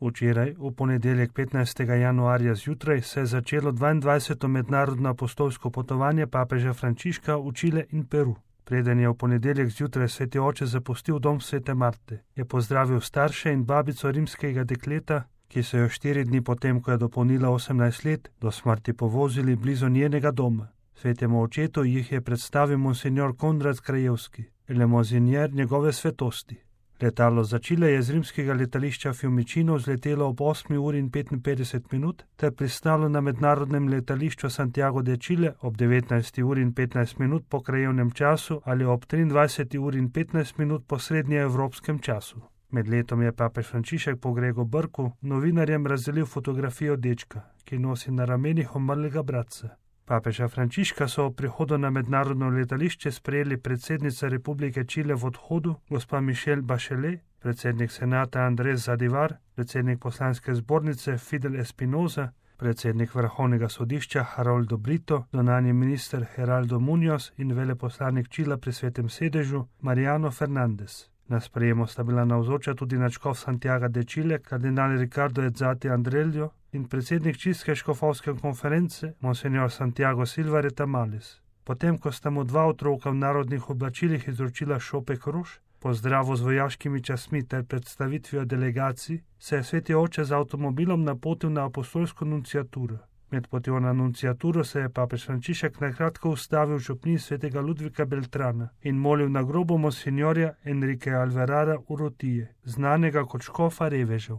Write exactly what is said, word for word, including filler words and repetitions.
Včeraj, v ponedeljek petnajstega januarja zjutraj, se je začelo dvaindvajseto mednarodno apostolsko potovanje papeža Frančiška v Čile in Peru. Preden je v ponedeljek zjutraj sveti oče zapustil dom svete Marte, je pozdravil starše in babico rimskega dekleta, ki so jo štiri dni potem, ko je dopolnila osemnajst let, do smrti povozili blizu njenega doma. Svetemu očetu jih je predstavil monsignor Konrad Krajevski, lemozinjer njegove svetosti. Letalo za Čile je z rimskega letališča Fiumicino vzletelo ob osmi uri in petinpetdeset minut ter pristalo na mednarodnem letališču Santiago de Chile ob devetnajsti uri in petnajst minut po krajevnem času ali ob triindvajseti uri in petnajst minut po srednjeevropskem času. Med letom je papež Frančišek po Gregu Brku novinarjem razdelil fotografijo dečka, ki nosi na ramenih umrlega bratca. Papeža Frančiška so ob prihodu na mednarodno letališče sprejeli predsednica Republike Čile v odhodu, gospa Michelle Bachelet, predsednik senata Andrés Zadivar, predsednik poslanske zbornice Fidel Espinosa, predsednik vrhovnega sodišča Haroldo Brito, zunanji minister Geraldo Muñoz in veleposlanik Čila pri svetem sedežu Mariano Fernández. Na sprejemu sta bila navzoča tudi nadškof Santiaga de Chile, kardinal Ricardo Ezzati Andrelio in predsednik čilske škofovske konference, monsignor Santiago Silva Retamalis. Potem, ko sta mu dva otroka v narodnih oblačilih izročila šopek rož, pozdravu z vojaškimi častmi ter predstavitvijo delegacij, se je sveti oče z avtomobilom napotil na apostolsko nunciaturo. Med potjo na nunciaturo se je papež Frančišek nakratko ustavil v župniji svetega Ludvika Beltrana in molil na grobu monsignorja Enrique Alvarada Urrutije, znanega kot škofa revežev.